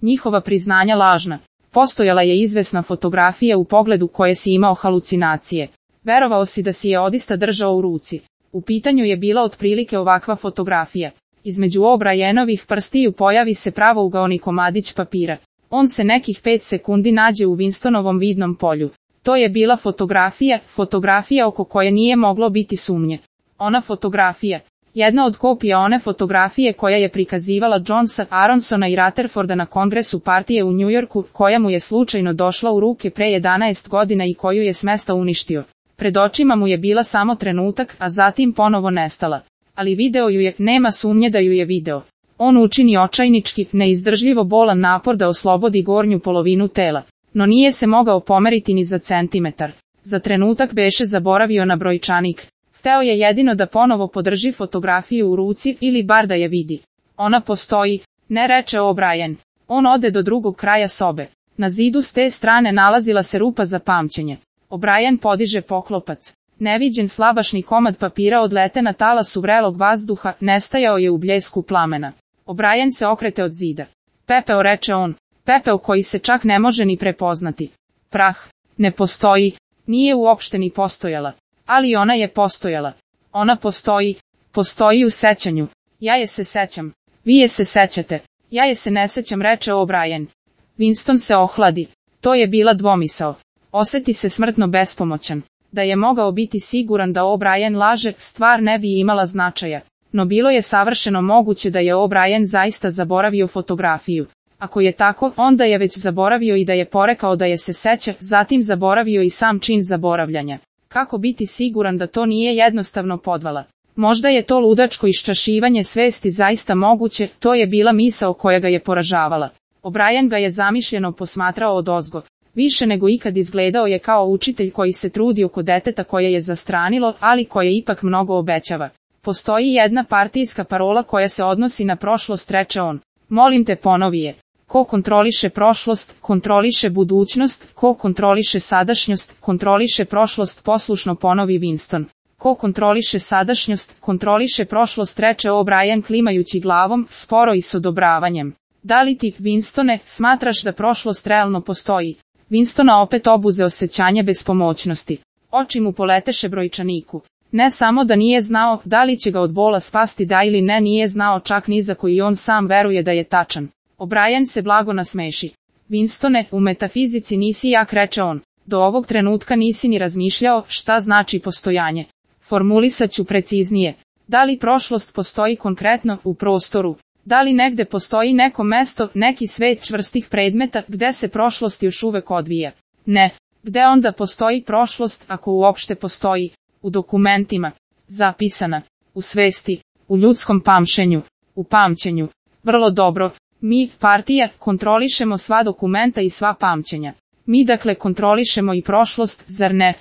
njihova priznanja lažna. Postojala je izvesna fotografija u pogledu koje si imao halucinacije. Verovao si da si je odista držao u ruci. U pitanju je bila otprilike ovakva fotografija. Između O'Brienovih prstiju pojavi se pravougaoni komadić papira. On se nekih 5 sekundi nađe u Winstonovom vidnom polju. To je bila fotografija oko koje nije moglo biti sumnje. Ona fotografija. Jedna od kopija one fotografije koja je prikazivala Jonesa, Aronsona i Rutherforda na kongresu partije u Njujorku, koja mu je slučajno došla u ruke pre 11 godina i koju je s mesta uništio. Pred očima mu je bila samo trenutak, a zatim ponovo nestala. Ali video ju je, nema sumnje da ju je video. On učini očajnički, neizdržljivo bolan napor da oslobodi gornju polovinu tela. No nije se mogao pomeriti ni za centimetar. Za trenutak beše zaboravio na brojčanik. Hteo je jedino da ponovo podrži fotografiju u ruci ili bar da je vidi. Ona postoji, ne reče O'Brien. On ode do drugog kraja sobe. Na zidu s te strane nalazila se rupa za pamćenje. O'Brien podiže poklopac. Neviđen slabašni komad papira odlete na talasu vrelog vazduha, nestajao je u bljesku plamena. O'Brien se okrete od zida. Pepeo, reče on. Pepeo koji se čak ne može ni prepoznati. Prah. Ne postoji. Nije uopšte ni postojala. Ali ona je postojala. Ona postoji. Postoji u sećanju. Ja je se sećam. Vi je se sećate. Ja je se ne sećam, reče O'Brien. Winston se ohladi. To je bila dvomisao. Oseti se smrtno bespomoćan. Da je mogao biti siguran da O'Brien laže, stvar ne bi imala značaja. No bilo je savršeno moguće da je O'Brien zaista zaboravio fotografiju. Ako je tako, onda je već zaboravio i da je porekao da je se seća, zatim zaboravio i sam čin zaboravljanja. Kako biti siguran da to nije jednostavno podvala? Možda je to ludačko iščašivanje svesti zaista moguće, to je bila misao koja ga je poražavala. O'Brien ga je zamišljeno posmatrao odozgo. Više nego ikad izgledao je kao učitelj koji se trudi oko deteta koje je zastranilo, ali koje ipak mnogo obećava. Postoji jedna partijska parola koja se odnosi na prošlost, reče on. Molim te, ponovi je. Ko kontroliše prošlost, kontroliše budućnost, ko kontroliše sadašnjost, kontroliše prošlost, poslušno ponovi Winston. Ko kontroliše sadašnjost, kontroliše prošlost, reče O'Brien klimajući glavom, sporo i s odobravanjem. Da li ti, Winstone, smatraš da prošlost realno postoji? Winstona opet obuze osjećanje bespomoćnosti. Oči mu poleteše brojčaniku. Ne samo da nije znao da li će ga od bola spasti da ili ne, nije znao čak ni za koji on sam veruje da je tačan. O'Brien se blago nasmeši. Winstone, u metafizici nisi jak, reče on. Do ovog trenutka nisi ni razmišljao šta znači postojanje. Formulisat ću preciznije. Da li prošlost postoji konkretno u prostoru? Da li negde postoji neko mesto, neki svet čvrstih predmeta gde se prošlost još uvek odvija? Ne. Gde onda postoji prošlost, ako uopšte postoji? U dokumentima. Zapisana. U svesti. U ljudskom pamćenju. U pamćenju. Vrlo dobro. Mi, partija, kontrolišemo sva dokumenta i sva pamćenja. Mi dakle kontrolišemo i prošlost, zar ne?